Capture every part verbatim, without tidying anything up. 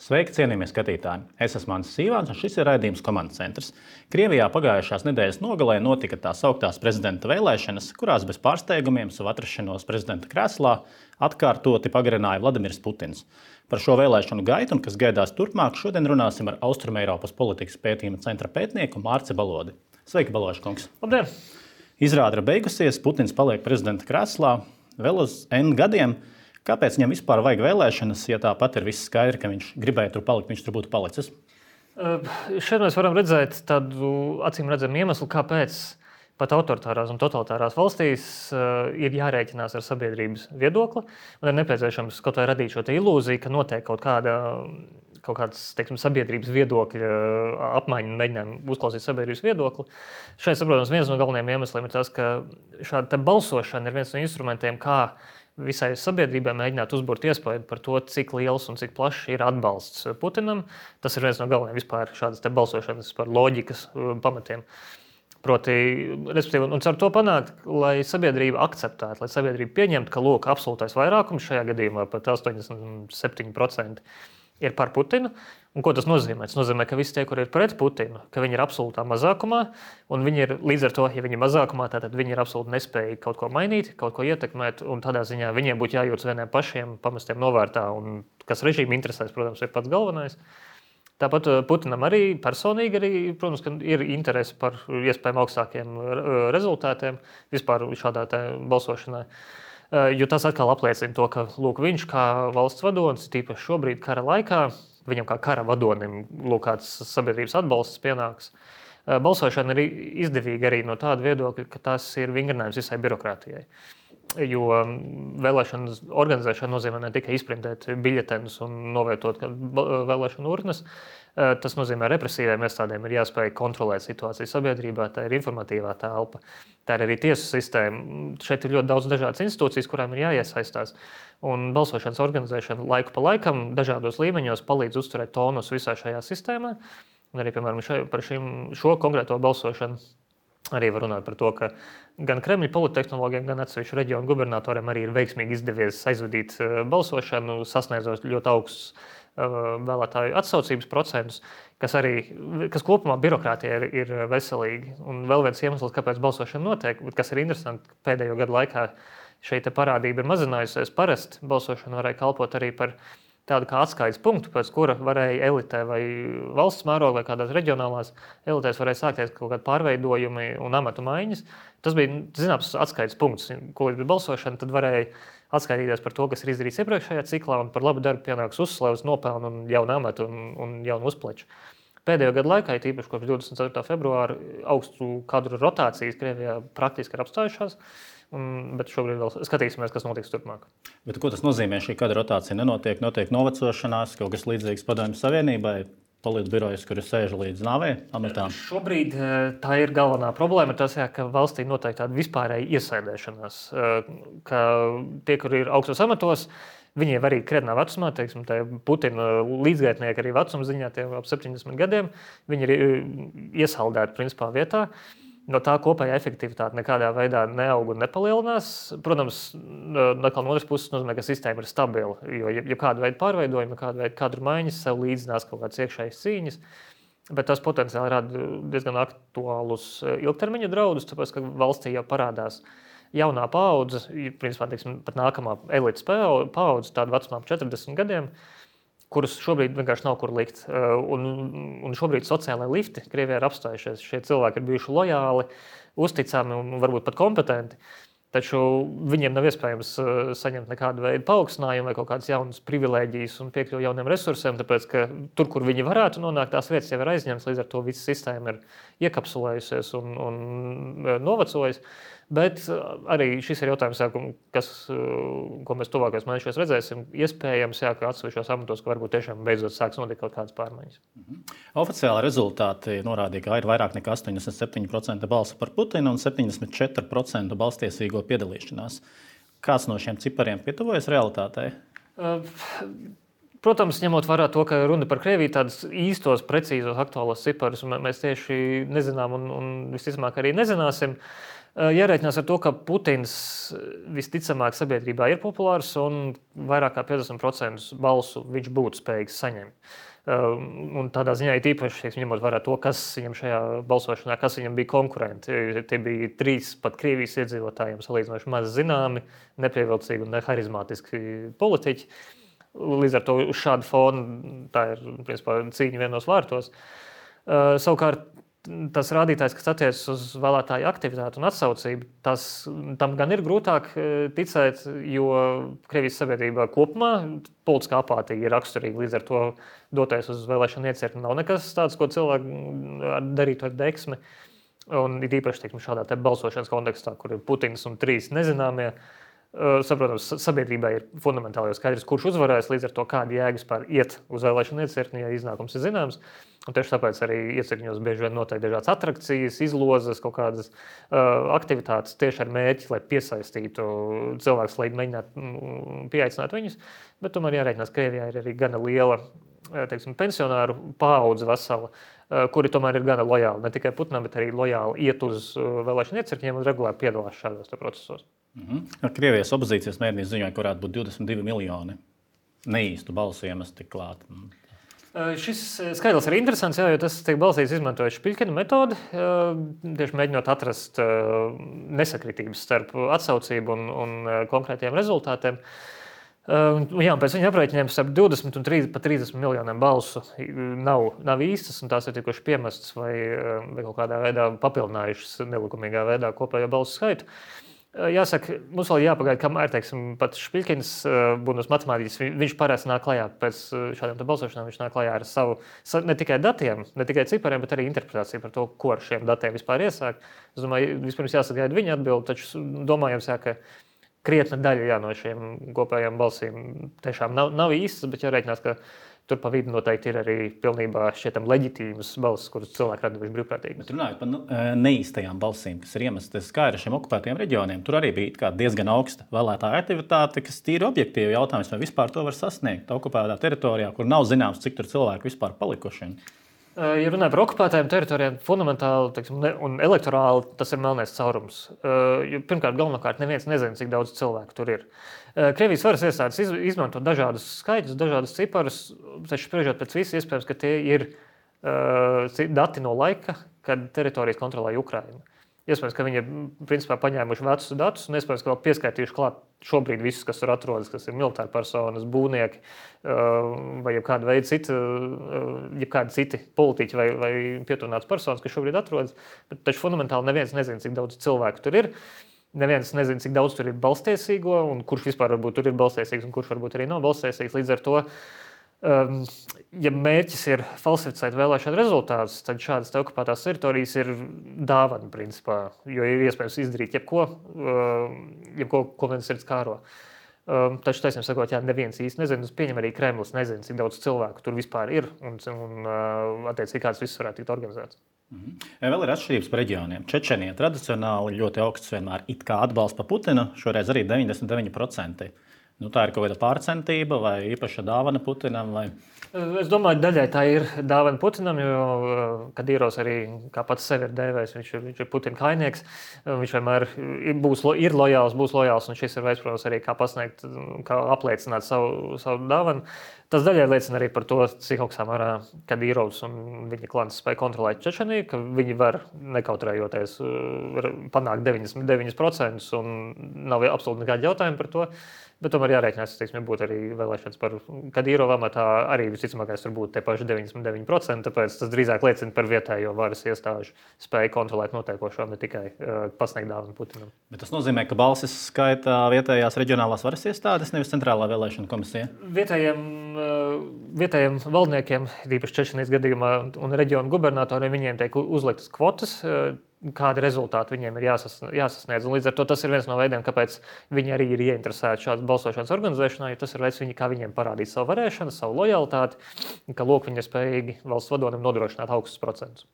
Sveiki, cienījamie skatītāji! Es esmu Mans Sīvāns, un šis ir raidījums Komandas centrs. Krievijā pagājušās nedēļas nogalē notika tā sauktās prezidenta vēlēšanas, kurās bez pārsteigumiem savu atrašanos prezidenta krēslā atkārtoti pagarināja Vladimirs Putins. Par šo vēlēšanu gaitu un kas gaidās turpmāk, šodien runāsim ar Austrumeiropas politikas pētījuma centra pētnieku Mārci Balodi. Sveiki, Baloža kungs! Labdien! Izrāde ir beigusies, Putins paliek prezidenta krēslā vēl uz N gadiem. Kāpēc viņam vispār vajag vēlēšanas, ja tāpat ir viss skaidri, ka viņš gribēja tur palikt, viņš tur būtu palicis? Uh, šeit mēs varam redzēt tādu acīm redzamu iemeslu, kāpēc pat autoritārās un totalitārās valstīs uh, ir jārēķinās ar sabiedrības viedokli un ir nepieciešams kaut vai radīt šo ilūziju, ka notiek kaut kāda kaut kāds, teiksim, sabiedrības viedokļa apmaiņa un mēģinājumi uzklausīt sabiedrības viedokli. Šeit, saprotams, viens no galvenajiem iemesliem ir tas, ka šāda balsošana ir viens no instrumentiem, kā visai sabiedrībai mēģināt uzburt iespēju par to, cik liels un cik plašs ir atbalsts Putinam. Tas ir viens no galvenajiem vispār šādas te balsošanas par loģikas pamatiem. Proti, respektīvi, un ar to panākt, lai sabiedrība akceptētu, lai sabiedrība pieņemtu, ka lūk, absolūtais vairākums, šajā gadījumā pat astoņdesmit septiņi procenti ir par Putinu. Un ko tas nozīmē? Tas nozīmē, ka visi tie, kur ir pret Putinu, ka viņi ir absolūtā mazākumā, un viņi ir līdz ar to, ja viņi ir mazākumā, tad viņi ir absolūti nespējīgi kaut ko mainīt, kaut ko ietekmēt, un tādā ziņā viņiem būtu jājūtas vieniem pašiem, pamestiem novārtā, un kas režīmu interesēs, protams, ir pats galvenais. Tāpat Putinam arī personīgi arī, protams, ka ir interese par iespējami augstākiem rezultātiem vispār šādā tā balsošanā. Jo tas atkal apliecina to, ka lūk, viņš kā valsts vadonis, tīpaši šobrīd kara laikā, viņam kā kara vadonim lūk, kāds sabiedrības atbalsts pienāks. Balsošana ir izdevīga arī no tāda viedokļa, ka tas ir vingrinājums visai birokrātijai. Jo vēlēšanas organizēšana nozīmē ne tikai izprintēt biļetenus un novietot vēlēšanu urnas, tas nozīmē represīviem iestādēm ir jāspēj kontrolēt situāciju sabiedrībā, tā ir informatīvā telpa, tā ir arī tiesu sistēma. Šeit ir ļoti daudz dažādas institūcijas, kurām ir jāiesaistās. Un balsošanas organizēšana laiku pa laikam dažādos līmeņos palīdz uzturēt tonus visā šajā sistēmā. Un arī, piemēram, šai, par šim, šo konkrēto balsošanu arī var runāt par to, ka gan Kremļa polittehnologiem, gan atsevišķu reģionu gubernatoriem arī ir veiksmīgi izdevies aizvadīt balsošanu, sasniedzot ļoti augsts vēlētāju atsaucības procentus, kas arī, kas kopumā birokrātija ir, ir veselīgi. Un vēl viens iemesls, kāpēc balsošana notiek, kas ir interesanti, pēdējo gadu laikā šeit parādība ir mazinājusies. Parasti balsošana varēja kalpot arī par tādu kā atskaites punktu, pēc kura varēja elitē vai valsts mērogā vai kādās reģionālās elitēs varēja sākties kaut kādi pārveidojumi un amatu maiņas. Tas bija zināms atskaites punkts, ko līdz balsošana, tad varēja atskaitīties par to, kas ir izdarīts iepriekšējā ciklā, un par labu darbu pienāks uzslavas, nopelnu un jaunu amatu un, un jaunu uzpleču. Pēdējo gadu laikā, tīpaši kopš divdesmit ceturtā februāra, augstu kadru rotācijas Krievijā praktiski ir apstājušās. Un, bet šobrīd vēl skatīsimies, kas notiks turpmāk. Bet ko tas nozīmē? Šī kadra rotācija nenotiek, notiek novecošanās, kaut kas līdzīgs Padomju Savienībai, politbirojas, kur sēž līdz nāvei amatām? Šobrīd tā ir galvenā problēma, tas, jā, ka valstī notiek tāda vispārēja iesēdēšanās, ka tie, kur ir augstos amatos, viņi arī krietnā vecumā, teiksim, tā Putina līdzgaitnieki arī vecuma ziņā, tie ap septiņdesmit gadiem, viņi ir iesaldēti principā vietā. No tā kopējā efektivitāte nekādā veidā neaug un nepalielinās. Protams, no otras puses nozīmē, ka sistēma ir stabila, jo ja kāda veida pārveidojumi, kāda veida kadru maiņas sev līdzinās kaut kādas iekšējas cīņas, bet tas potenciāli rada diezgan aktuālus ilgtermiņa draudus, tāpēc, ka valstī jau parādās jaunā paudze, principā, teiksim, pat nākamā elites paudze, tāda vecumā ap četrdesmit gadiem, kurus šobrīd vienkārši nav kur likt. Un, un šobrīd sociālai lifti Krievijā ir apstājušies. Šie cilvēki ir bijuši lojāli, uzticami un varbūt pat kompetenti, taču viņiem nav iespējams saņemt nekādu veidu paaugstinājumu vai kaut kādas jaunas privilēģijas un piekļuvi jauniem resursiem, tāpēc, ka tur, kur viņi varētu nonākt, tās vietas jau ir aizņemtas, līdz ar to visa sistēma ir iekapsulējusies un, un novecojas. Bet arī šis ir jautājums, kas, ko mēs tuvākajos mēnešos redzēsim. Iespējams, jā, ka atsevišķos amatos, ka varbūt tiešām beidzot sāks notikt kaut kādas pārmaiņas. Mhm. Oficiāli rezultāti norādīja, ka ir vairāk nekā astoņdesmit septiņi procenti balsu par Putinu un septiņdesmit četri procenti balstiesīgo piedalīšanās. Kāds no šiem cipariem pietuvojas realitātei? Uh, Protams, ņemot vērā to, ka runa par Krieviju, tādus īstos, precīzos, aktuālos ciparus mēs tieši nezinām un, un visticamāk arī nezināsim. Jārēķinās ar to, ka Putins visticamāk sabiedrībā ir populārs un vairāk kā piecdesmit procentus balsu viņš būtu spējīgs saņemt. Un tādā ziņā ir īpaši ņemot vērā to, kas viņam šajā balsošanā, kas viņam bija konkurenti. Tie bija trīs pat Krievijas iedzīvotājiem salīdzinoši maz zināmi, nepievilcīgi un neharizmātiski politiķi. Līdz ar to uz šādu fonu tā ir principā cīņa vienos vārtos. Uh, savukārt tas rādītājs, kas attiecas uz vēlētāju aktivitāti un atsaucību, tas, tam gan ir grūtāk ticēt, jo Krievijas sabiedrībā kopumā politiskā apātija ir raksturīga. Līdz ar to doties uz vēlēšanu iecirkni nav nekas tāds, ko cilvēki darītu ar deksmi. Un ir īpaši teiksim, šādā te balsošanas kontekstā, kur ir Putins un trīs nezināmie. Saprotams, sabiedrībai ir fundamentāli skaidrs, kurš uzvarēs, līdz ar to kāda jēga vispār iet uz vēlēšanu iecirkni, ja iznākums ir zināms. Un tieši tāpēc arī iecirkņos bieži vien notiek dažādas atrakcijas, izlozes, kaut kādas uh, aktivitātes tieši ar mērķi, lai piesaistītu cilvēkus, lai mēģinātu pieaicināt viņus. Bet tomēr jārēķinās, ka Krievijā ir arī gana liela teiksim, pensionāru paudze vesela, uh, kuri tomēr ir gana lojāli. Ne tikai Putinam, bet arī lojāli iet uz uh, vēlēšanu iecirkņiem un regulāri piedalās šādos procesos. Mm-hmm. Krievijas opozīcijas mēdīņi ziņoja, ka varētu būt divdesmit divi miljoni neīstu balsu iemesti klāt. Šis skaidrs ir interesants, jā, jo tas tiek balstīts izmantojot Špiļkina metodi, tieši mēģinot atrast nesakritības starp atsaucību un, un konkrētiem rezultātiem. Jā, pēc viņa aprēķiniem starp divdesmit un trīsdesmit miljoniem balsu nav, nav īstas, un tās ir tikuši piemestas vai, vai kaut kādā veidā papildinājušas nelikumīgā veidā kopējo balsu skaitu. Jāsaka, mums vēl jāpagaida, kamēr, teiksim, pat Špiļkins, būdams matemātiķis, viņš parasti nāk klajā pēc šādiem balsošanām, viņš nāk klajā ar savu, ne tikai datiem, ne tikai cipariem, bet arī interpretāciju par to, ko ar šiem datiem vispār iesāk. Es domāju, vispirms jāsagaida viņa atbildi, taču domājams, jā, ka krietna daļa jā, no šiem kopējām balsīm tiešām nav, nav īstas, bet jārēķinās, ka tur pa vidu noteikti ir arī pilnībā šķietam leģitīmas balsis, kuras cilvēki raduši brīvprātīgi. Bet runājot par neīstajām balsīm, kas ir iemestas kā ar šiem okupētajiem reģioniem, tur arī bija diezgan augsta vēlētāja aktivitāte, kas tīri objektīvi jautājums, vai vispār to var sasniegt okupētā teritorijā, kur nav zināms, cik tur cilvēki vispār palikuši. Ja runājam par okupētajām teritorijām, fundamentāli teiksim, un elektorāli tas ir melnais caurums. Pirmkārt, galvenokārt neviens nezina, cik daudz cilvēku tur ir. Krievijas varas iestādes izmanto dažādus skaitļus, dažādus ciparus, taču spriežot pēc visu iespējams, ka tie ir dati no laika, kad teritorijas kontrolēja Ukraina. Iespējams, ka viņi ir principā paņēmuši vecus datus un iespējams, ka vēl pieskaitījuši klāt šobrīd visus, kas tur atrodas, kas ir militāri personas, būvnieki vai jebkāda veida citi, jebkādi citi politiķi vai, vai pietuvināts personas, kas šobrīd atrodas. Bet taču fundamentāli neviens nezina, cik daudz cilvēku tur ir. Neviens nezina, cik daudz tur ir balstiesīgo un kurš vispār varbūt tur ir balstiesīgs un kurš varbūt arī nav balstiesīgs. Līdz ar to, Um, ja mērķis ir falsificēt vēlēšanu rezultātus, tad šādas te okupētās teritorijas ir dāvana, principā, jo ir iespējams izdarīt jebko, jebko ko viens sirds kāro. Um, taču, taisnība sakot, jā, neviens īsti nezina, es pieņem arī Kremlis nezina, cik daudz cilvēku tur vispār ir un, un attiecīgi kāds viss varētu tikt organizēts. Mhm. Vēl ir atšķirības par reģioniem. Čečenija tradicionāli ļoti augsts vienmēr it kā atbalsts par Putinu, šoreiz arī deviņdesmit deviņi procenti. Nu, tā ir kaut kāda pārcentība vai īpaša dāvana Putinam? Vai... Es domāju, daļai tā ir dāvana Putinam, jo Kadīrovs arī, kā pats sevi ir dēvējis, viņš ir, viņš ir Putina kainieks. Viņš vienmēr būs, ir lojāls, būs lojāls, un šis ir veids, protams, arī kā pasniegt, kā apliecināt savu, savu dāvanu. Tas daļai liecina arī par to, cik augstā mērā Kadīrovs un viņa klans spēja kontrolēt Čečeniju, ka viņi var nekautrējoties panākt deviņdesmit deviņi procenti un nav absolūti nekādi jautājumi par to. Bet tomēr jārēķinās, ka būtu arī vēlēšanas par Kadīrovu amatā, arī visticamākais tur būtu tie paši deviņdesmit deviņi procenti, tāpēc tas drīzāk liecina par vietējo varas iestāžu spēju kontrolēt notiekošo, ne tikai uh, pasniegt dāvanu Putinam. Bet tas nozīmē, ka balsis skaita vietējās reģionālās varas iestādes, nevis centrālā vēlēšana komisija? Vietējiem, uh, vietējiem valdniekiem, īpaši Čečenijas gadījumā un reģionu gubernatoriem, viņiem tiek uzliktas kvotas, uh, kādi rezultāti viņiem ir jāsasniedz. Un līdz ar to tas ir viens no veidiem, kāpēc viņi arī ir ieinteresēti šādas balsošanas organizēšanā, jo tas ir veids, viņi, kā viņiem parādīt savu varēšanu, savu lojalitāti, ka lūk, viņi ir spējīgi valsts vadonim nodrošināt augstus procentus.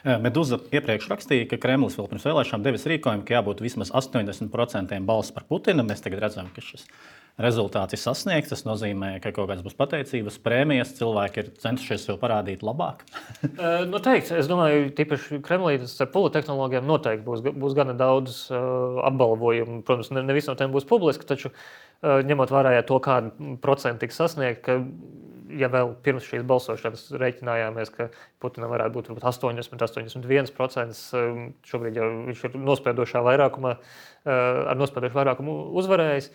Meduza iepriekš rakstīja, ka Kremlis vēl pirms vēlēšanām devis rīkojumu, ka jābūt vismaz astoņdesmit procentiem balsu par Putinu. Mēs tagad redzam, ka šis rezultāts ir sasniegts. Tas nozīmē, ka kaut kādas būs pateicības, prēmijas, cilvēki ir centušies sev parādīt labāk. Noteikti. Es domāju, tīpaši Kremlī ar politehnoloģiem noteikti būs, būs gana daudz uh, apbalvojumu. Protams, ne, ne visi no tiem būs publiski, taču uh, ņemot vērā to, kādu procentu tiks sasniegt, ka ja vēl pirms šīs balsošanas rēķinājāmies, ka Putinam varētu būt varbūt astoņdesmit, astoņdesmit viens procents, šobrīd jau viņš ir nospiedošā vairākumā, ar nospiedošu vairākumu uzvarējis.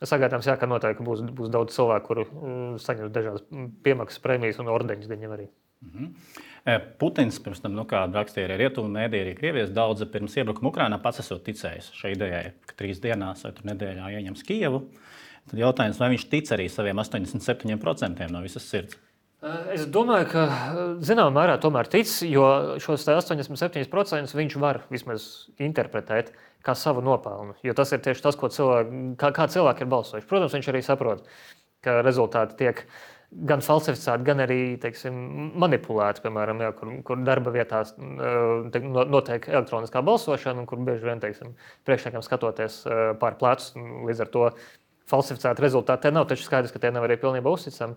Sagaidāms, jā, ka noteikti būs, būs daudz cilvēku, kuru saņems dažādas piemaksas, prēmijas un ordeņus viņam arī. Mm-hmm. Putins pirms tam, nu, kā rakstīja arī rietumu mēdī, arī Krievijas daudzi pirms iebrukuma Ukrainā pats esot ticējis šai idejai, ka trīs dienās vai tur nedēļā ieņems Kijevu. Tad jautājums, vai viņš tic arī saviem astoņdesmit septiņiem procentiem no visas sirds? Es domāju, ka zināmā mērā tomēr tic, jo šos astoņdesmit septiņus procentus viņš var vismaz interpretēt kā savu nopelnu. Jo tas ir tieši tas, ko cilvēki, kā, kā cilvēki ir balsojuši. Protams, viņš arī saprot, ka rezultāti tiek gan falsificēti, gan arī, teiksim, manipulēti, piemēram, jā, kur, kur darba vietās te, notiek elektroniskā balsošana, un kur bieži vien, teiksim, priekšniekam skatoties pār plecus, līdz ar to falsificēti rezultāti te nav, taču skaidrs, ka tie nav arī pilnībā uzticami.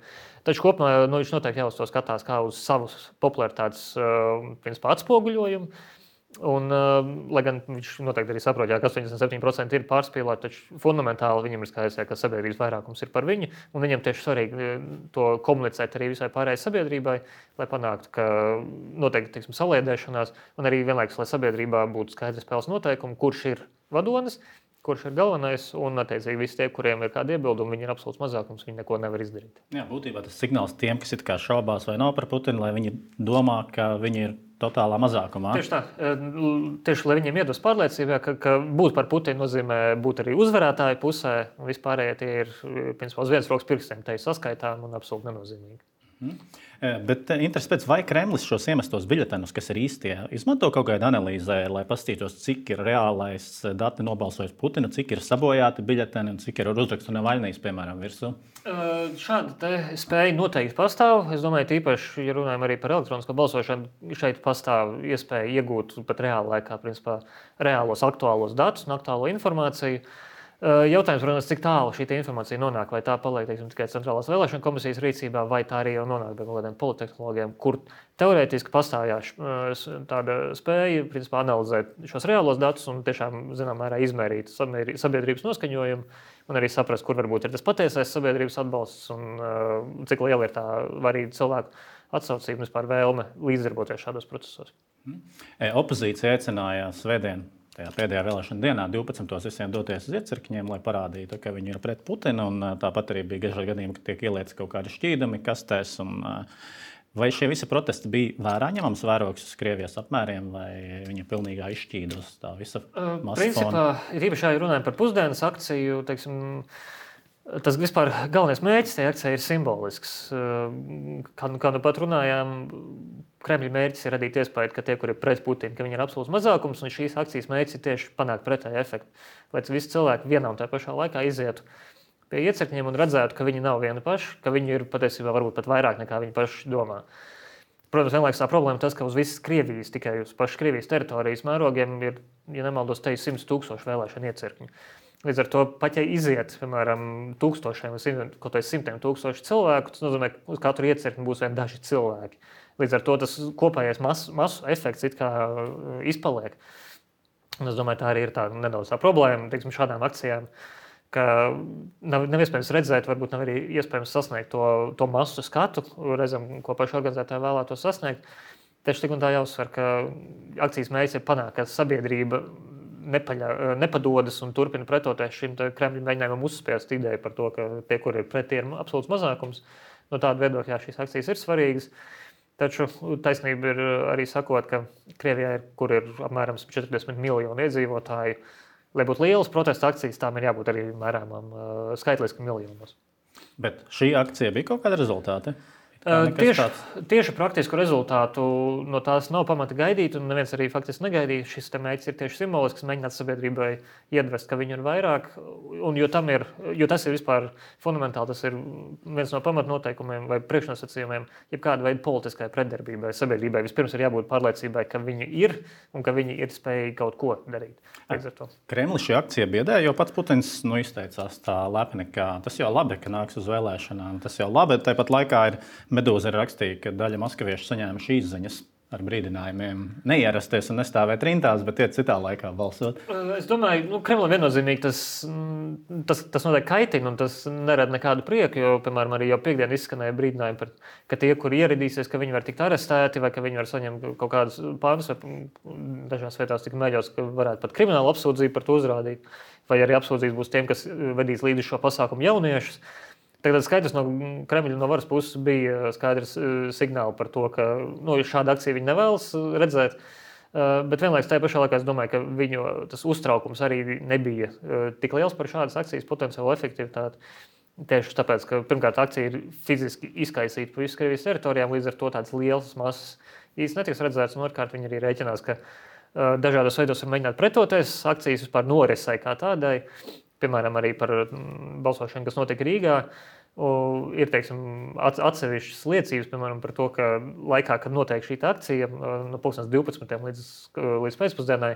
Taču kopumā nu, viņš noteikti jau uz to skatās kā uz savu popularitātes principā atspoguļojumu. Un, lai gan viņš noteikti arī saprot, jā, ka astoņdesmit septiņi procenti ir pārspīlēti, taču fundamentāli viņam ir skaidrs, jā, ka sabiedrības vairākums ir par viņu, un viņam tieši svarīgi to komunicēt arī visai pārējai sabiedrībai, lai panāktu, ka noteikti, teiksim, saliedēšanās, un arī vienlaikus, lai sabiedrībā būtu skaidrs spēles noteikumi, kurš ir vadonis, kurš ir galvenais, un, attiecīgi, visi tie, kuriem ir kādi iebildumi, viņi ir absolūts mazākums, viņi neko nevar izdarīt. Jā, būtībā tas signāls tiem, kas it kā šaubās vai nav par Putinu, lai viņi domā, ka viņi ir totālā mazākumā. Tieši tā. Tieši, lai viņiem iedos pārliecību, ka, ka būt par Putinu nozīmē būt arī uzvarētāju pusē, un vispārējie tie ir, principā, uz vienas rokas pirkstiem te saskaitām un absolūti nenozīmīgi. Mm. Bet interesi pēc, vai Kremlis šos iemestos biļetenus, kas ir īstie, izmanto kaut kādu analīzē, lai paskatītos, cik ir reālais dati nobalsojis Putinu, cik ir sabojāti biļeteni un cik ir uzrakstu Navaļnijas, piemēram, virsū? Šāda te spēja noteikti pastāv. Es domāju, tīpaši, ja runājam arī par elektronisko balsošanu, šeit pastāv iespēja iegūt pat reāla laikā, principā, reālos aktuālos datus un aktuālo informāciju. Jautājums, protams, cik tālu šī informācija nonāk, vai tā paliek, teiksim, tikai Centrālās vēlēšana komisijas rīcībā, vai tā arī jau nonāk pie kaut kādiem politehnoloģiem, kur teorētiski pastāv tāda spēja, principā, analizēt šos reālos datus un tiešām, zinām, mērā izmērīt sabiedrības noskaņojumu un arī saprast, kur varbūt ir tas patiesais sabiedrības atbalsts un cik liela ir tā varīga cilvēku atsaucība, vispār vēlme līdzdarboties šādos procesos. Opozīcija aicināja svētdien, tajā pēdējā vēlēšana dienā, divpadsmitos visiem doties uz iecirkņiem, lai parādītu, ka viņi ir pret Putinu. Un tāpat arī bija dažādi gadījumi, ka tiek ielieti kaut kādi šķīdumi kastēs. Un, vai šie visi protesti bija vērā ņemams vērogs uz Krievijas apmēriem, vai viņi pilnīgā izšķīda uz tā visa masa Principā, fona? Ir īpaši, ja runājam par pusdienas akciju, teiksim, tas vispār galvenais mērķis tajā akcijā ir simbolisks. Kā, kā nu pat runājām, Kremļa mērķis ir radīt iespēju, ka tie, kuri ir pret Putinu, ka viņi ir absolūts mazākums, un šīs akcijas mērķis ir tieši panākt pretēju efektu. Lai visi cilvēki vienā un tajā pašā laikā izietu pie iecirkņiem un redzētu, ka viņi nav vieni paši, ka viņi ir patiesībā varbūt pat vairāk nekā viņi paši domā. Protams, vienlaikus tā problēma tas, ka uz visas Krievijas, tikai uz pašas Krievijas teritorijas mērogiem ir, ja nemaldos, te ir simts tūkstoši vēlēšanu iecirkņu. Līdz ar to pat, ja iziet, piemēram, tūkstošiem vai kaut vai simtiem tūkstoši cilvēku, tas nozīmē, ka uz katru iecirkni būs vien daži cilvēki. Līdz ar to tas kopējais masu, masu efekts it kā izpaliek. Un es domāju, tā arī ir tā nedaudz tā problēma, teiksim, šādām akcijām, ka nav, nav iespējams redzēt, varbūt nav arī iespējams sasniegt to, to masu skatu, reizēm, ko paši organizētāji vēlētos sasniegt. Tieši tik un tā jāuzsver, ka akcijas mērķis ir panākt, ka sabiedrība nepaļa, nepadodas un turpina pretoties šim Kremļa mēģinājumam uzspiest ideju par to, ka tie, kuri ir pret, tie ir absolūts mazākums. No tāda viedokļa šīs akcijas ir svarīgas. Taču taisnība ir arī sakot, ka Krievijā, ir, kur ir apmēram četrdesmit miljoni iedzīvotāji, lai būtu lielas protesta akcijas, tām ir jābūt arī mērāmām skaitliski miljonos. Bet šī akcija bija kaut kāda rezultāta? Tieši, tieši praktisku rezultātu no tās nav pamata gaidīt, un neviens arī faktiski negaidīja. Šis mērķis ir tieši simbolisks, mēģināt sabiedrībai iedvest, ka viņu ir vairāk. Un, jo, ir, jo tas ir vispār fundamentāli, tas ir viens no pamatnoteikumiem vai priekšnosacījumiem jebkāda veida politiskai pretdarbībai sabiedrībai. Vispirms ir jābūt pārliecībai, ka viņi ir un ka viņi ir spējīgi kaut ko darīt. Kremli šī akcija biedē, jo pats Putins nu, izteicās tā lepni, ka tas jau labi, ka nāks uz vēlēšanām. Tas jau labi, tāpat laikā ir Medūza ir rakstīja, ka daļa maskaviešu saņēma šīs ziņas ar brīdinājumiem neierasties un nestāvēt rindās, bet iet citā laikā balsot. Es domāju, nu, Kremlim viennozīmīgi tas, tas, tas noteikti kaitina un tas nerada nekādu prieku, jo, piemēram, arī jau piekdien izskanēja brīdinājumi par, ka tie, kuri ieradīsies, ka viņi var tikt arestēti vai ka viņi var saņemt kaut kādus pānus, vai dažās vietās tika mēģināts, ka varētu pat kriminālu apsūdzību par to uzrādīt, vai arī apsūdzības būs tiem, kas vedīs līdzi šo pasākumu jauniešus. Tagad skaidrs no Kremļa no varas puses bija skaidrs signāli par to, ka nu, šāda akcija viņi nevēlas redzēt. Bet vienlaikus tajā pašā laikā es domāju, ka viņu tas uztraukums arī nebija tik liels par šādas akcijas potenciālu efektivitāti. Tieši tāpēc, ka pirmkārt akcija ir fiziski izkaisīta pa visu Krievijas teritorijām, līdz ar to tādas lielas masas īsti netiks redzētas. Un otrkārt viņi arī rēķinās, ka dažādos veidos var mēģināt pretoties akcijas vispār norisai kā tādai. Piemēram, arī par balsošanu, kas notika Rīgā, ir teiksim, atsevišķas liecības, piemēram, par to, ka laikā, kad notiek šī akcija, no pulkstens divpadsmitiem līdz, līdz pēcpusdienai,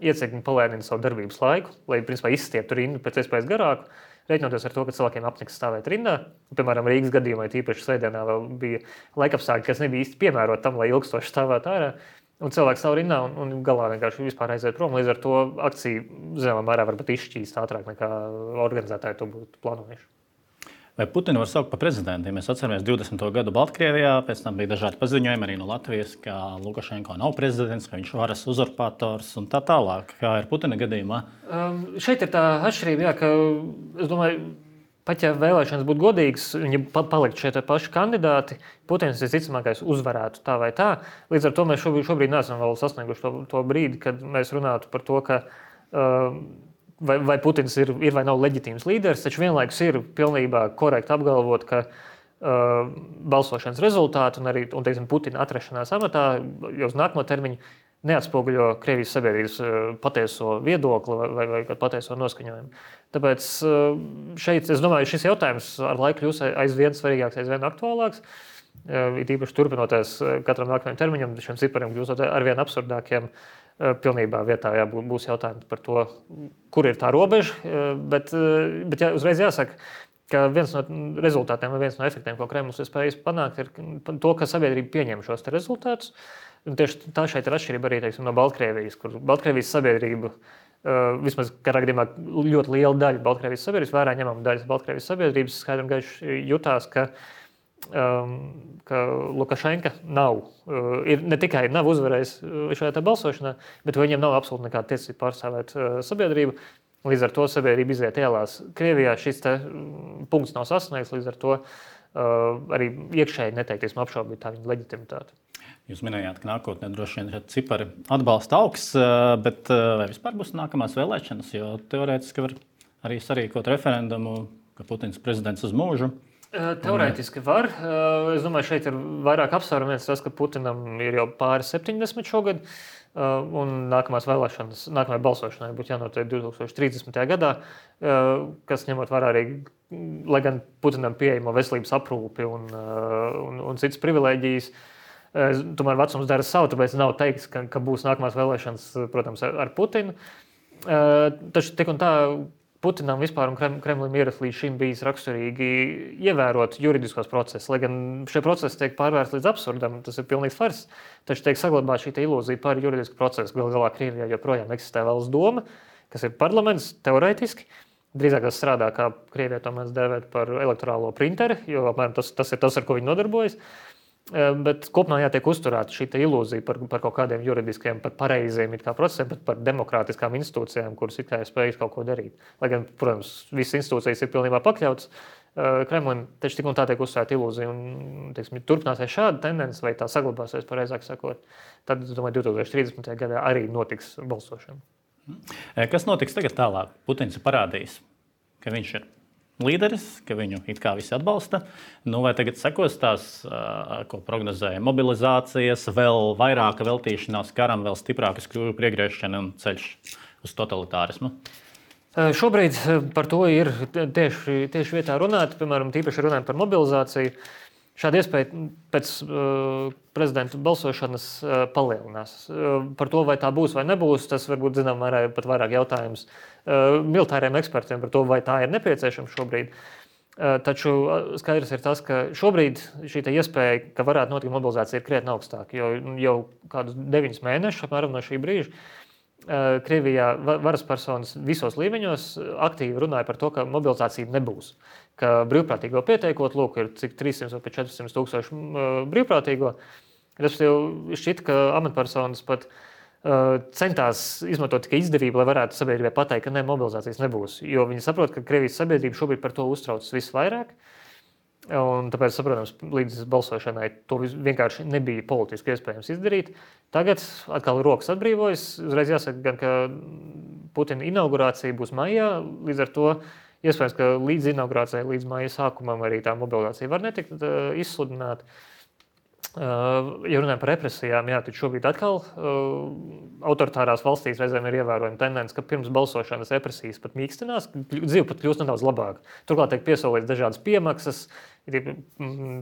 iecirkņi palēnina savu darbības laiku, lai principā izstieptu rindu pēc iespējas garāku, rēķinoties ar to, ka cilvēkiem apniks stāvēt rindā. Piemēram, Rīgas gadījumā tīpaši svētdienā vēl bija laikapstākļi, kas nebija īsti piemēroti tam, lai ilgstoši stāvētu ārā. Un cilvēks stāv rindā un, un galā vienkārši vispār aiziet prom. Līdz ar to akcija zināmā mērā varbūt izšķīst ātrāk nekā organizētāji to būtu plānojuši. Vai Putinu var saukt par prezidentu? Ja mēs atceramies divdesmito gadu Baltkrievijā, pēc tam bija dažādi paziņojumi arī no Latvijas, ka Lukašenko nav prezidents, ka viņš varas uzurpators un tā tālāk. Kā ir Putina gadījumā? Um, šeit ir tā atšķirība, jā, ka es domāju, pat ja vēlēšanas būtu godīgas, viņi palikt šie paši kandidāti, Putins visticamākais uzvarētu tā vai tā. Līdz ar to mēs šobrīd, šobrīd neesam vēl sasnieguši to, to brīdi, kad mēs runātu par to, ka uh, vai, vai Putins ir, ir vai nav leģitīms līderis, taču vienlaikus ir pilnībā korekti apgalvot, ka uh, balsošanas rezultāti un arī un, teiksim, Putina atrašanās amatā jau uz nākamo termiņu neatspoguļo Krievijas sabiedrības patieso viedokli vai, vai, vai patieso noskaņojumu. Tāpēc šeit, es domāju, šis jautājums ar laiku kļūs aizvien svarīgāks, aizvien aktuālāks. It īpaši turpinoties katram nākamajam termiņam, šiem cipariem kļūstot arvien absurdākiem, pilnībā vietā jā, būs jautājums par to, kur ir tā robeža. Bet, bet jā, uzreiz jāsaka, ka viens no rezultātiem vai viens no efektiem, ko Kremlis ir spējis panākt, ir to, ka sabiedrība pieņem šos te rezultātus. Un tieši tā šeit ir atšķirība arī teiksim, no Baltkrievijas, kur Baltkrievijas sabiedrība, uh, vismaz katrā gadījumā ļoti liela daļa Baltkrievijas sabiedrības, vērā ņemama daļa Baltkrievijas sabiedrības, skaidri un gaiši jutās, ka, um, ka Lukašenka nav, uh, ir, ne tikai nav uzvarējis šajā tā balsošanā, bet viņiem nav absolūti nekāda tiesība pārstāvēt uh, sabiedrību. Līdz ar to sabiedrība iziet ielās. Krievijā šis te punkts nav sasniegts, līdz ar to uh, arī iekšēji neteikties apšaubīt tā viņa leģitimitāti. Jūs minējāt, ka nākotnē droši vien cipari atbalsta augs, bet vai vispār būs nākamās vēlēšanas? Jo teorētiski var arī sarīkot referendumu, ka Putins prezidents uz mūžu. Teorētiski var. Es domāju, šeit ir vairāk apsvērumu. Viens tas, ka Putinam ir jau pāri septiņdesmit šogad, un nākamās vēlēšanas, nākamajai balsošanai būtu jānotiek divtūkstoš trīsdesmitajā gadā, kas ņemot vērā arī, lai gan Putinam pieejamo veselības aprūpi un, un, un citas privilēģijas, tomēr vecums dara savu, tāpēc nav teiks, ka, ka būs nākamās vēlēšanas, protams, ar Putinu. Taču tik un tā Putinam vispār un Kremlim ierast līdz šim bijis raksturīgi ievērot juridiskos procesus, lai gan šie procesi tiek pārvērsti līdz absurdam, tas ir pilnīgs fars, taču tiek saglabāt šī ilūzija par juridisku procesu. Gal galā Krievijā joprojām eksistē valsts doma, kas ir parlaments teorētiski. Drīzāk tas strādā, kā Krievijā to mēs dēvēt par elektorālo printeri, jo apmēram tas, tas ir tas, ar ko viņi nodarbojas. Bet kopumā jātiek uzturēta šī ilūzija par, par kaut kādiem juridiskiem, par pareiziem procesiem, bet par demokrātiskām institūcijām, kuras ir spējas kaut ko darīt. Lai gan, protams, visas institūcijas ir pilnībā pakļautas uh, Kremlim, taču tik un tā tiek uzturēta ilūzija. Un, teiksim, turpināsies šāda tendence, vai tā saglabāsies, pareizāk sakot, tad, es domāju, divtūkstoš trīsdesmitajā gadā arī notiks balsošana. Kas notiks tagad tālāk? Putins ir parādījis, ka viņš ir līderis, ka viņu it kā visi atbalsta. Nu, vai tagad sekos tās, ko prognozēja, mobilizācijas, vēl vairāka veltīšanās karam, vēl stiprākas kļūju priegriešana un ceļš uz totalitārismu? Šobrīd par to ir tieši, tieši vietā runāt, piemēram, tīpaši runājot par mobilizāciju. Šāda iespēja pēc uh, prezidenta balsošanas uh, palielinās. Uh, par to, vai tā būs vai nebūs, tas varbūt zinām mērā pat vairāk jautājums uh, militāriem ekspertiem par to, vai tā ir nepieciešama šobrīd. Uh, taču skaidrs ir tas, ka šobrīd šī iespēja, ka varētu notikt mobilizācija, ir krietni augstāka, jo jau kādus deviņus mēnešus apmēram no šī brīža uh, Krievijā varas personas visos līmeņos aktīvi runāja par to, ka mobilizācija nebūs. Ka brīvprātīgo pieteikot, lūk, ir cik trīssimts vai četrsimt tūkstoši brīvprātīgo. Respektīvi, šķiet, ka amatpersonas pat uh, centās izmantot tikai izdevību, lai varētu sabiedrībai pateikt, ka ne, mobilizācijas nebūs. Jo viņi saprot, ka Krievijas sabiedrība šobrīd par to uztraucas visvairāk. Un tāpēc, saprotams, līdz balsošanai to vienkārši nebija politiski iespējams izdarīt. Tagad atkal rokas atbrīvojas. Uzreiz jāsaka gan, ka Putina inaugurācija būs maijā, līdz ar to iespējams, ka līdz inaugurācijai, līdz māja sākumam arī tā mobilizācija var netikt uh, izsludināta. Uh, ja runājam par represijām, jā, tad šobrīd atkal uh, autoritārās valstīs reizēm ir ievērojama tendence, ka pirms balsošanas represijas pat mīkstinās, dzīve pat kļūst nedaudz labāka. Turklāt tiek piesolīts dažādas piemaksas,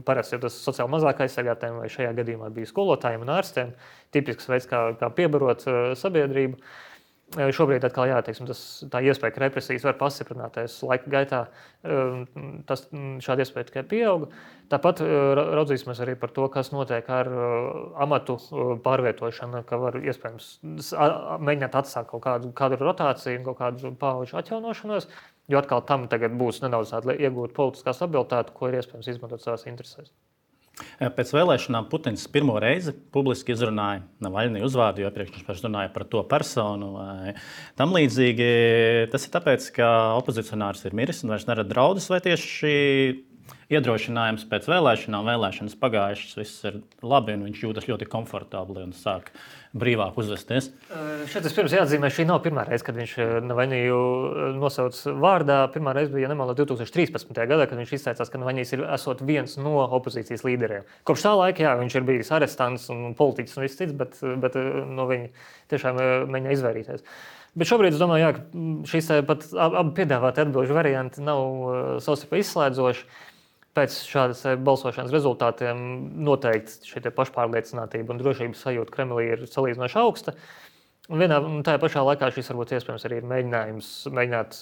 parasti jau tas sociāli mazāk aizsargātājiem vai šajā gadījumā bija skolotājiem un ārstiem, tipisks veids, kā, kā piebarot uh, sabiedrību. Šobrīd atkal jā, teiksim, tas, tā iespēja, ka represijas var pastiprināties laika gaitā, tas, šāda iespēja tikai pieauga. Tāpat raudzīsimies arī par to, kas notiek ar amatu pārvietošanu, ka var iespējams mēģināt atsākt kaut kādu, kādu rotāciju, kaut kādu paudžu atjaunošanos, jo atkal tam tagad būs nedaudz tāda iegūt politiskā stabilitāte, ko ir iespējams izmantot savās interesēs. Pēc vēlēšanām Putins pirmo reizi publiski izrunāja Navaļniju uzvārdu, jo iepriekš viņš paši runāja par to personu vai tam līdzīgi. Tas ir tāpēc, ka opozicionārs ir miris un vairs nerada draudus, vai tieši iedrošinājums pēc vēlēšanām, vēlēšanas pagājušas, viss ir labi un viņš jūtas ļoti komfortabli un sāk brīvāk uzvesties. Šeit es pirms jāatzīmē, šī nav pirmā reize, kad viņš Navaļniju nosauc vārdā. Pirmā reize bija, ja nemaldos, divi tūkstoši trīspadsmitajā gadā, kad viņš izteicās, ka Navaļnijs ir esot viens no opozīcijas līderiem. Kopš tā laika, jā, viņš ir bijis arestants un politiķis un viss cits, bet, bet no viņa tiešām mēģina izvairīties. Bet šobrīd es domāju, jā, ka šīs pat abi piedāvāti atbilžu varianti nav savstarpēji izslēdzoši. Pēc šādas balsošanas rezultātiem noteikti šī pašpārliecinātība un drošības sajūta Kremlī ir salīdzinoši augsta. Un vienā un tajā pašā laikā šis varbūt iespējams arī ir mēģinājums mēģināt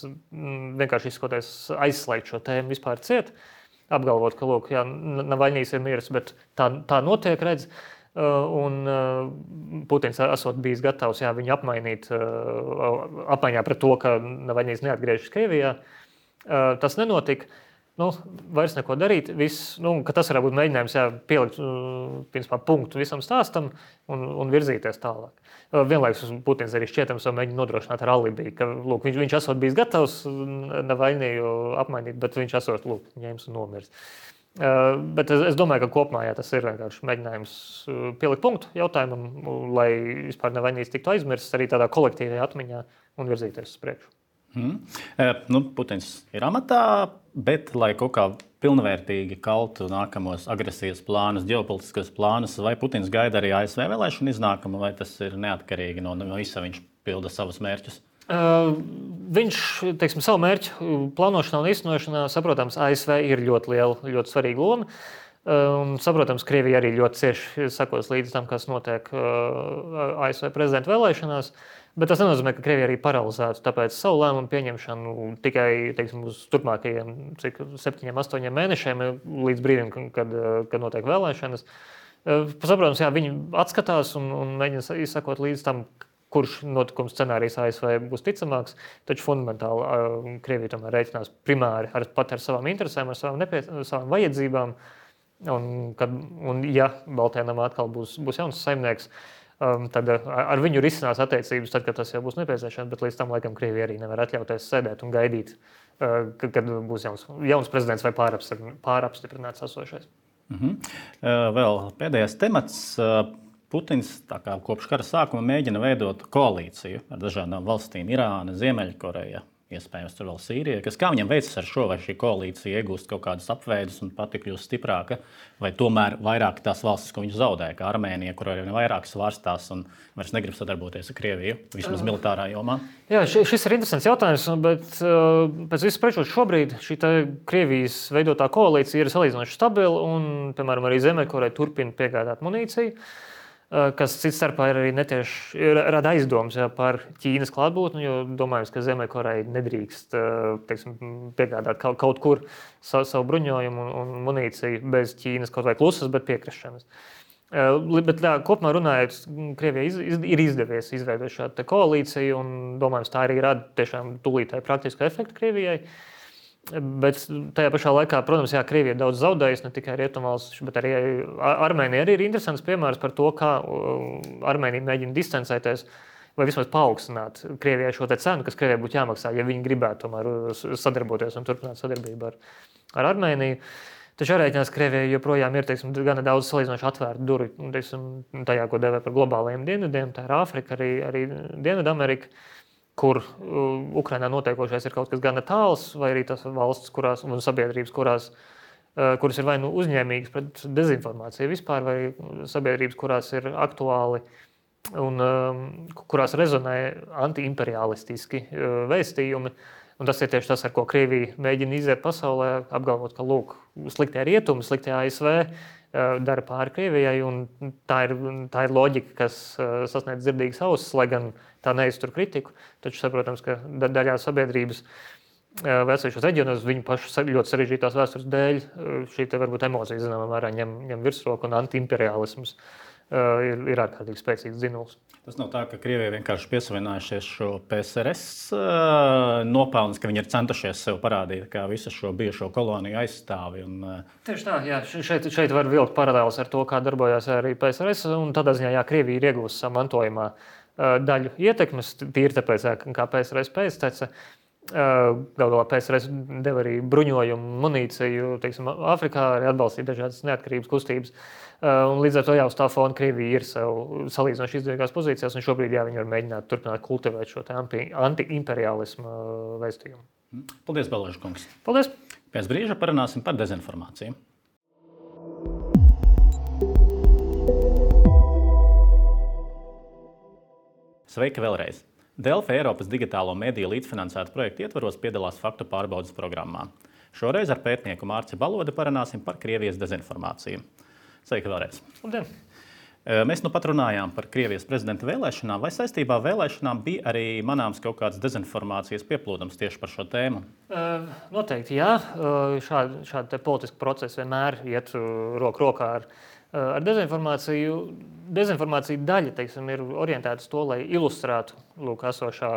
vienkārši izskoties aizslēgt šo tēmu vispār ciet, apgalvot, ka lūk, jā, Navaļnijs ir miris, bet tā, tā notiek, redz. Un Putins esot bijis gatavs jā, viņu apmainīt, apmaiņā pret to, ka Navaļnijs neatgriežas Krievijā. Tas nenotika. Nu, vairs neko darīt, viss, nu, ka tas varētu būt mēģinājums jā, pielikt principā, punktu visam stāstam un, un virzīties tālāk. Vienlaikus Putins arī šķietams jau mēģina nodrošināt ar alibi, ka lūk, viņš, viņš esot bijis gatavs Navaļniju apmainīt, bet viņš esot lūk, ņēmis un nomirs. Uh, bet es, es domāju, ka kopumā jā, tas ir vienkārši mēģinājums pielikt punktu jautājumam, lai vispār Navaļnijs tiktu aizmirsts arī tādā kolektīvajā atmiņā un virzīties uz priekšu. Hmm. Nu, Putins ir amatā, bet, lai kaut kā pilnvērtīgi kaltu nākamos agresijas plānus, ģeopolitiskos plānus, vai Putins gaida arī A S V vēlēšanu iznākumu, vai tas ir neatkarīgi no, no visa, viņš pilda savus mērķus? Uh, viņš, teiksim, savu mērķu plānošanā un īstenošanā, saprotams, A S V ir ļoti liela, ļoti svarīga loma. Un, saprotams, Krievija arī ļoti cieši sekos līdz tam, kas notiek uh, A S V prezidenta vēlēšanās. Bet tas nenozīmē, ka Krievija arī paralizētu tāpēc savu lēmumu pieņemšanu tikai teiksim, uz turpmākajiem cik, septiņiem, astoņiem mēnešiem līdz brīdim, kad, kad notiek vēlēšanas. Saprotams, jā, viņi atskatās un, un mēģina izsakot līdz tam, kurš notikums scenārijs A S V būs ticamāks, taču fundamentāli Krievija tomēr rēķinās primāri ar, pat ar savām interesēm, ar savām, nepie, savām vajadzībām. Un, kad, un ja Baltajā namā atkal būs, būs jauns saimnieks, Um, tad ar viņu risinās attiecības, tad, kad tas jau būs nepieciešams, bet līdz tam laikam Krievija arī nevar atļauties sēdēt un gaidīt, uh, kad, kad būs jauns, jauns prezidents vai pārapstiprināts esošais. Mhm. Uh, vēl pēdējais temats. Uh, Putins tā kā kopš kara sākuma mēģina veidot koalīciju ar dažādām valstīm - Irāna, Ziemeļkoreja, iespējams tur vēl Sīrija. Kas, kā viņam veicas ar šo, vai šī koalīcija iegūst kaut kādus apveidus un pati kļūst stiprāka, vai tomēr vairāk tās valstis, ko viņš zaudēja, kā Armēnija, kur arī vairāk svārstās un vairs negrib sadarboties ar Krieviju, vismaz militārā jomā? Jā, šis ir interesants jautājums, bet pēc visu sprečot šobrīd šī Krievijas veidotā koalīcija ir salīdzinoši stabila un, piemēram, arī Ziemeļkoreja turpina piegādāt munīciju, kas cits starpā ir arī netieši rada aizdomas jā, par Ķīnas klātbūtni, jo domājams, ka Ziemeļkoreja nedrīkst teiksim, piegādāt kaut, kaut kur savu, savu bruņojumu un, un munīciju bez Ķīnas kaut vai klusas, bet piekrišanas. Bet tā, kopumā runājot, Krievijai iz, iz, ir izdevies izveidot šādu koalīciju un domājams, tā arī rada tiešām tūlītēji praktisku efektu Krievijai. Bet tajā pašā laikā, protams, jā, Krievija ir daudz zaudējusi, ne tikai Rietumvalstis, bet arī Armēnija arī ir interesants piemērs par to, kā Armēnija mēģina distancēties vai vismaz paaugstināt Krievijai šo te cenu, kas Krievijai būtu jāmaksā, ja viņi gribētu tomēr sadarboties un turpināt sadarbību ar, ar Armēniju. Taču jārēķinās, Krievijai joprojām ir teiksim, gana daudz salīdzinoši atvērtu durvju teiksim, tajā, ko devē par globālajiem dienvidiem, tā ir Āfrika, arī, arī Dienvidamerika, kur Ukrainā notiekošais ir kaut kas gana tāls, vai arī tās valsts kurās, un sabiedrības, kurās, kuras ir vai nu uzņēmīgas pret dezinformāciju vispār, vai sabiedrības, kurās ir aktuāli un kurās rezonē antiimperialistiski vēstījumi. Un tas ir tieši tas, ar ko Krievija mēģina iziet pasaulē, apgalvot, ka lūk, sliktie rietumi, sliktie A S V dara pāri Krievijai, un tā ir, tā ir loģika, kas sasniedz dzirdīgas ausis, lai gan tā neiztur kritiku. Taču saprotams, ka daļā sabiedrības atsevišķos reģionos viņu pašu ļoti sarežģītās vēstures dēļ šī te varbūt emocija zināmā mērā ņem, ņem virsroku un antiimperialisms ir, ir ārkārtīgi spēcīgs dzinuls. Tas nav tā, ka Krievija vienkārši piesavinājušies šo P S R S nopelnus, ka viņi ir centušies sev parādīt, kā visu šo bijušo koloniju aizstāvi. Un... Tieši tā, jā, šeit, šeit var vilkt paralēlus ar to, kā darbojās arī P S R S, un tādā ziņā, jā, Krievija ir iegūst savu mantojumā daļu ietekmes, tīri tāpēc, kā P S R S pēctece. Galu galā P S R S deva arī bruņojumu, munīciju, teiksim, Āfrikā, arī atbalstīja dažādas neatkarības kustības. Un līdz ar to jau uz tā fona Krievija ir sev salīdzinoši izdevīgās pozīcijās, un šobrīd jā, viņi var mēģināt turpināt kultivēt šo anti-imperialismu vēstījumu. Paldies, Beleža kungs. Paldies. Pēc brīža parunāsim par dezinformāciju. Sveiki vēlreiz! Delfi Eiropas digitālo mediju līdzfinansētu projektu ietvaros piedalās faktu pārbaudes programmā. Šoreiz ar pētnieku Mārci Balodi parunāsim par Krievijas dezinformāciju. Sveiki vēlreiz! Labdien! Mēs nu pat runājām par Krievijas prezidenta vēlēšanām. Vai saistībā ar vēlēšanām bija arī manāms kaut kāds dezinformācijas pieplūdums tieši par šo tēmu? Noteikti, jā. Šādi, šādi politiski procesi vienmēr iet roku rokā ar Ar dezinformāciju, dezinformācija daļa teiksim, ir orientēta uz to, lai ilustrētu lūk, esošā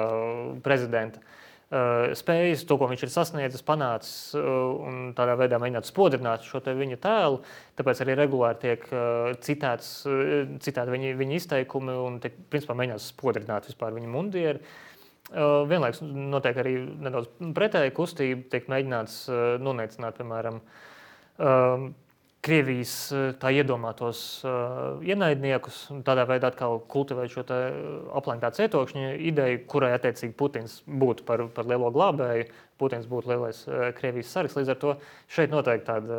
prezidenta spējas, to, ko viņš ir sasniedzis, panācis un tādā veidā mēģināt spodrināt šo te viņa tēlu. Tāpēc arī regulāri tiek citēts, citēti viņa, viņa izteikumi un tiek principā mēģināts spodrināt vispār viņa mundieri. Vienlaiks notiek arī nedaudz pretēja kustība, tiek mēģināts noneicināt, piemēram, Krievijas tā iedomātos uh, ienaidniekus un tādā veidā atkal kultivēt šo te aplenktā cietokšņa ideju, kurai attiecīgi Putins būtu par, par lielo glābēju, Putins būtu lielais uh, Krievijas sargs. Līdz ar to šeit noteikti tāda,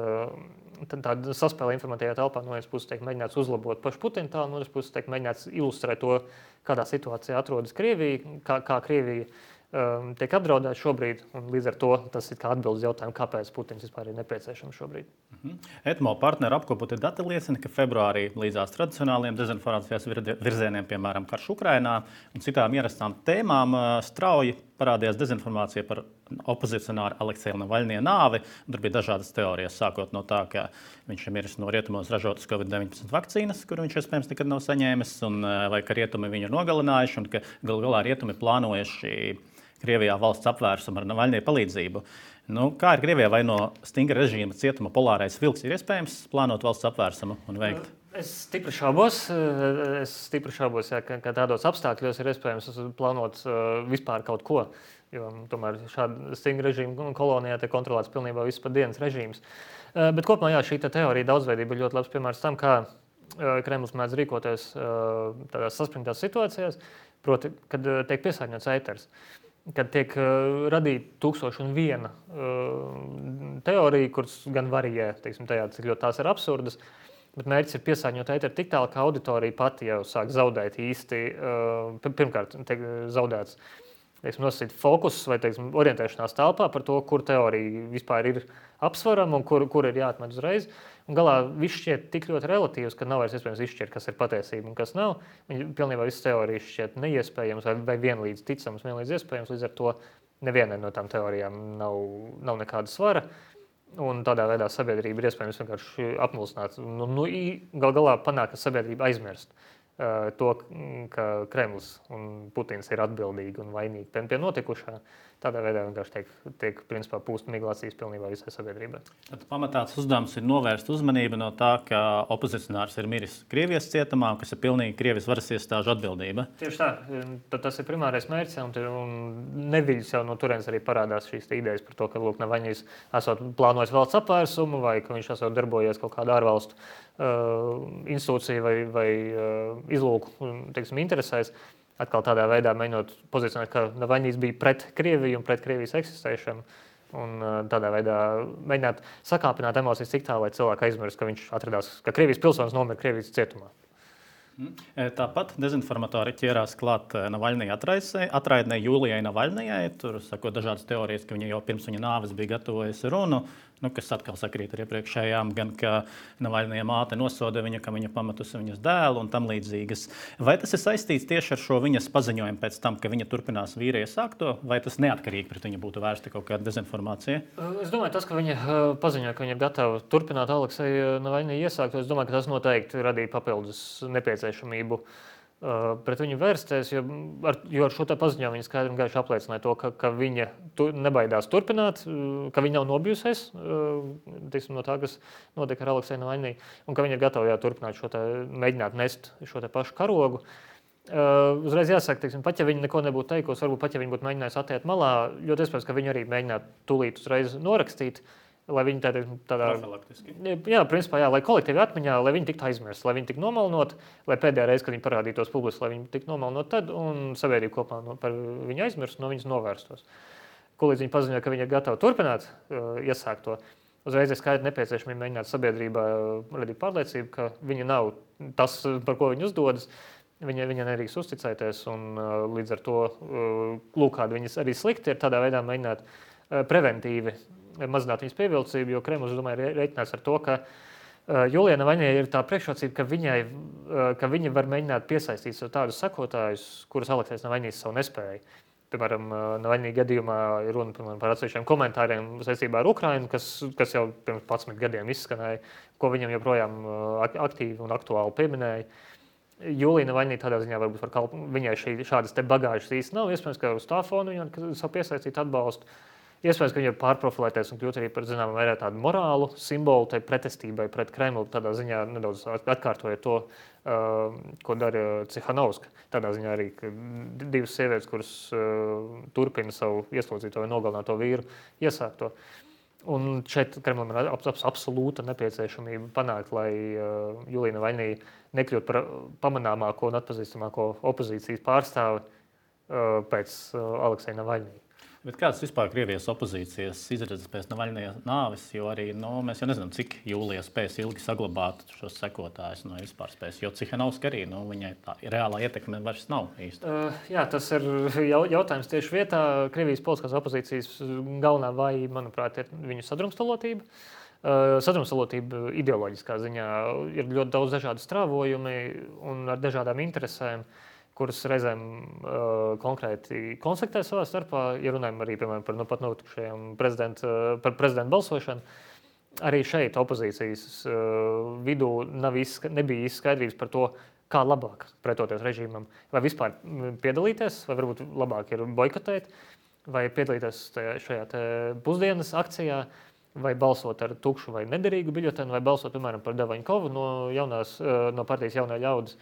tāda saspēle informatīvajā telpā no vienas puses tiek mēģināts uzlabot pašu Putinu tā, no otras puses tiek mēģināts ilustrēt to, kādā situācijā atrodas Krievija, kā, kā Krievija um, tiek apdraudēta šobrīd, un līdz ar to tas ir kā atbildes jautājumu, kāpēc Putins vispār ir nepieciešams šobrīd. Etmo partneru apkopoti dati liecina, ka februārī līdzās tradicionāliem dezinformācijas virzieniem, piemēram, karš Ukrainā un citām ierastām tēmām, strauji parādījās dezinformācija par opozicionāru Alekseja Navaļņija nāvi. Tur bija dažādas teorijas, sākot no tā, ka viņš ir miris no rietumos ražotas covid deviņpadsmit vakcīnas, kuru viņš iespējams nekad nav saņēmis, un, vai ka rietumi viņu ir nogalinājuši, un ka gal galā rietumi plānojuši Krievijā valsts apvērsumu ar Navaļņija palīdzību. Nu, kā ir Krievijā, vai no stingra režīma cietuma polārais vilks ir iespējams plānot valsts apvērsumu un veikt? Es stipri šaubos, es stipri šaubos, ja, ka, ka tādos apstākļos ir iespējams plānot uh, vispār kaut ko, jo tomēr šāda stingra režīma kolonijā tiek kontrolēts pilnībā viss pa dienas režīms. Uh, bet kopumā jā, šī teorija daudzveidība ir ļoti labs piemērs tam, kā uh, Kremlis mēdz rīkoties uh, tādās saspringtās situācijās, proti, kad uh, tiek piesārņots ēters. kad tiek uh, radīta tūkstoši un viena uh, teorija, kuras gan varīja, teiksim, tajā, cik ļoti tās ir absurdas, bet mērķis ir piesārņot ēteru tik tālu, ka auditorija pati jau sāk zaudēt īsti, uh, pirmkārt, tiek zaudēts teiksim, nosacīt fokus vai teiksim, orientēšanās telpā par to, kur teorija vispār ir apsvarama un kur, kur ir jāatmet uzreiz. Un galā viss šķiet tik ļoti relatīvs, ka nav vairs iespējams izšķirt, kas ir patiesība un kas nav. Un pilnībā visas teorijas šķiet neiespējams vai, vai vienlīdz ticams, vienlīdz iespējams. Līdz ar to nevienai no tām teorijām nav, nav nekāda svara. Un tādā veidā sabiedrība ir iespējams vienkārši apmulsināt. Nu, nu, gal galā panāk, ka sabiedrība aizmirst uh, to, ka Kremlis un Putins ir atbildīgi un vainīgi pie, pie notikušā. Tādā veidā vienkārši tiek, tiek principā pūst miglācijas pilnībā visai sabiedrībai. Tad pamatāts uzdevums ir novērst uzmanību no tā, ka opozicionārs ir miris Krievijas cietumā, kas ir pilnīgi Krievijas varas iestāžu atbildība. Tieši tā. Tad tas ir primārais mērķis, un, un neviļas jau no turienes arī parādās šīs idejas par to, ka lūk, Navaļņijs esot plānojis valsts apvērsumu vai ka viņš esot darbojies kaut kādā ārvalstu uh, institūciju vai, vai uh, izlūku teiksim, interesēs. Atkal tādā veidā mēģinot pozicionēt, ka Navaļņijs bija pret Krieviju un pret Krievijas eksistēšanu. Un tādā veidā mēģināt sakāpināt emocijas tik tā, lai cilvēki aizmirst, ka viņš atradās, ka Krievijas pilsonis nomira Krievijas cietumā. Tāpat dezinformatori ķērās klāt Navaļņija atraidnē Jūlijai Navaļņijai. Tur sako dažādas teorijas, ka viņa jau pirms viņa nāves bija gatavojusi runu, nu, kas atkal sakrīt ar iepriekšējām, gan ka Navaļņija māte nosoda viņa, ka viņa pametusi viņas dēlu un tam līdzīgas. Vai tas ir saistīts tieši ar šo viņas paziņojumu pēc tam, ka viņa turpinās vīrija sākto, vai tas neatkarīgi pret viņu būtu vērsta kaut kāda dezinformācija? Es domāju, tas, ka viņa paziņoja, ka viņa ir gatava turpināt Alekseja Navaļņija iesākto, es domāju, ka tas noteikti radīja papildus nepieciešamību pret viņu vērsties, jo ar, jo ar šo tā paziņojumu viņa skaidri un gaiši apliecināja to, ka, ka viņa tu, nebaidās turpināt, ka viņa nav nobijusies tiksim, no tā, kas notika ar Alekseju Navaļņiju, un ka viņa ir gatava jā, turpināt šo tā, mēģināt nest šo tā pašu karogu. Uh, uzreiz jāsaka, teiksim, pat ja viņa neko nebūtu teikusi, varbūt pat ja viņa būtu mēģinājusi attiekt malā, ļoti iespējams, ka viņa arī mēģinātu tūlīt uzreiz norakstīt, lai viņi tādā, tādā jā, principā, jā, lai kolektīvi atmiņā, lai viņi tiktu aizmirst, lai viņi tiktu nomalnot, lai pēdējā reize, kad viņi parādītos publiski, lai viņi tiktu nomalnot tad, un sabiedrība kopā no, par viņu aizmirst, no viņas novērstos. Ko līdz viņi paziņoja, ka viņi ir gatavi turpināt uh, iesākt to, uzreiz ir skaidri nepieciešami mēģināt sabiedrībā radīt pārliecību, ka viņa nav tas, par ko viņi uzdodas, viņa, viņa nedrīkst uzticēties, un uh, līdz ar to uh, lūk, kādi viņas arī slikti ir tādā veidā mēģināt uh, preventīvi mazināt viņas pievilcību, jo Kremlis, es domāju, ir rēķinās ar to, ka uh, Jūlijai Navaļņijai ir tā priekšrocība, ka, viņai, uh, ka viņa var mēģināt piesaistīt sev tādus sekotājus, kurus Aleksejs Navaļņijs savu nespēja. Piemēram, uh, Navaļņija gadījumā ir runa piemēram, par atsevišķiem komentāriem saistībā ar Ukrainu, kas, kas jau pirms padsmit gadiem izskanēja, ko viņam joprojām uh, aktīvi un aktuāli pieminēja. Jūlija Navaļņija tādā ziņā varbūt var kalp... viņai šī, šādas te bagāžas īsti nav, iespējams, ka uz tā fona viņa savu piesaistīt atbalstu. Iespējams, ka viņi ir pārprofilēties un kļūt arī par zināmā vērā tādu morālu simbolu tai pretestībai pret Kremlu. Tādā ziņā nedaudz atkārtoja to, uh, ko dara Cihanovska. Tādā ziņā arī divas sievietes, kuras uh, turpina savu ieslodzīto vai nogalināto vīru iesākto. Un šeit Kremlim ir ap, ap, absolūta nepieciešamība panākt, lai uh, Jūlija Navaļņija nekļūt par pamanāmāko un atpazīstamāko opozīcijas pārstāvi uh, pēc uh, Alekseja Navaļņija. Bet kādas vispār Krievijas opozīcijas izredzes pēc Navaļņija nāves, jo arī nu, mēs jau nezinām, cik Jūlija spēs ilgi saglabāt šos sekotājus, no vispār spēs, jo Cihanovska arī, nu, viņai tā reālā ietekme vairs nav īsti. Uh, jā, tas ir jautājums tieši vietā. Krievijas politiskās opozīcijas galvenā vājība, manuprāt, ir viņu sadrumstalotība. Uh, sadrumstalotība ideoloģiskā ziņā ir ļoti daudz dažādu strāvojumi un ar dažādām interesēm, kuras reizēm uh, konkrēti konfliktē savā starpā, ja runājam arī, piemēram, par nu pat notikušajām prezidenta, par prezidenta balsošanu. Arī šeit opozīcijas uh, vidū nav izska, nebija izskaidrības par to, kā labāk pretoties režīmam. Vai vispār piedalīties, vai varbūt labāk ir boikotēt, vai piedalīties tajā, šajā te pusdienas akcijā, vai balsot ar tukšu vai nederīgu biļetenu, vai balsot, piemēram, par Davaņkovu no, jaunās, uh, no partijas Jaunā ļaudis.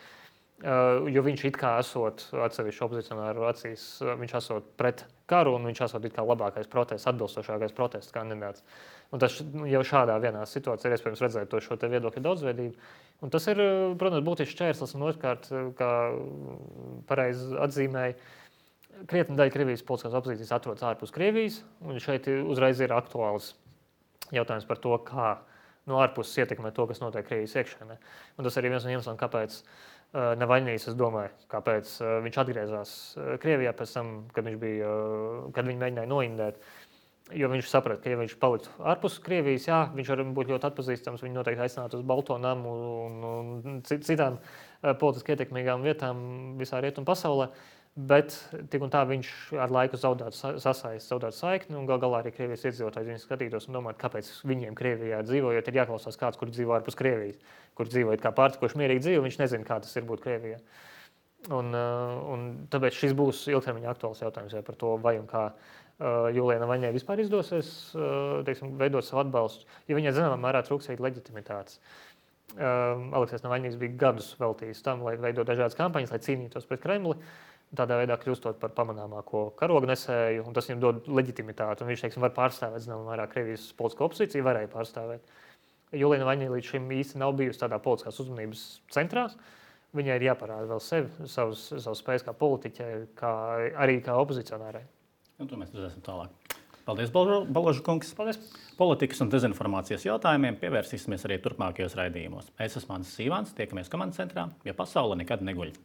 Uh, jo viņš it kā esot atsevišķu opozicionāru acīs, uh, viņš esot pret karu un viņš esot it kā labākais protests, atbilstošākais protests kandidāts. Un tas jau šādā vienā situācijā ir iespējams redzēt to šo te viedokļu daudzveidību. Un tas ir, protams, būtisks šķērslis un otrkārt, kā pareizi atzīmēja, krietni daļa Krievijas politiskās opozīcijas atrodas ārpus Krievijas, un šeit uzreiz ir aktuāls jautājums par to, kā no ārpuses ietekmē to, kas notiek Krievijas iekšēnē. Un tas arī viens no iemesliem, kāpēc uh, Navaļņīs, es domāju, kāpēc uh, viņš atgriezās uh, Krievijā pēc tam, kad, viņš bija, uh, kad viņi mēģināja noindēt. Jo viņš saprata, ka, ja viņš paliktu ārpus Krievijas, jā, viņš var būt ļoti atpazīstams, viņu noteikti aicinātu uz Balto namu un, un citām uh, politiski ietekmīgām vietām visā rietumu pasaulē. Bet tik un tā viņš ar laiku zaudētu sasaisti, zaudētu saikni, un gal galā arī Krievijas iedzīvotāji viņus skatītos un domātu, kāpēc viņiem Krievijā dzīvojot ir jāklausās kāds, kur dzīvo ārpus Krievijas, kur dzīvojot kā pārtikoši mierīgi dzīvo, viņš nezina, kā tas ir būt Krievijā. Un, un tāpēc šis būs ilgtermiņa aktuāls jautājums par to, vai un kā Julijai Navaļņai vispār izdosies teiksim, veidot savu atbalstu, jo viņai zināmā mērā trūks arī leģitimitātes. Aleksejs Navaļņīs bija gadus veltījis tam, lai veidot dažādas kampaņas, lai cīnītos pret Kremli, tādā veidā kļūstot par pamanāmāko karognesēju, un tas viņam dod leģitimitāti, un viņš, teiksim, var pārstāvēt, zināmā mērā, Krievijas politisko opozīciju, varēja pārstāvēt. Julija Navaļņija līdz šim īsti nav bijusi tādā politiskās uzmanības centrā. Viņai ir jāparāda vēl sevi, savus, savus spējas kā politiķai, kā, arī kā opozicionārai. Un to mēs redzēsim tālāk. Paldies, Baloža kungs. Paldies. Politikas un dezinformācijas jautājumiem pievērsīsimies arī turpmākajos raidījumos. Es esmu Mans Sīvāns, tiekamies komandas centrā, jo pasaule nekad neguļ.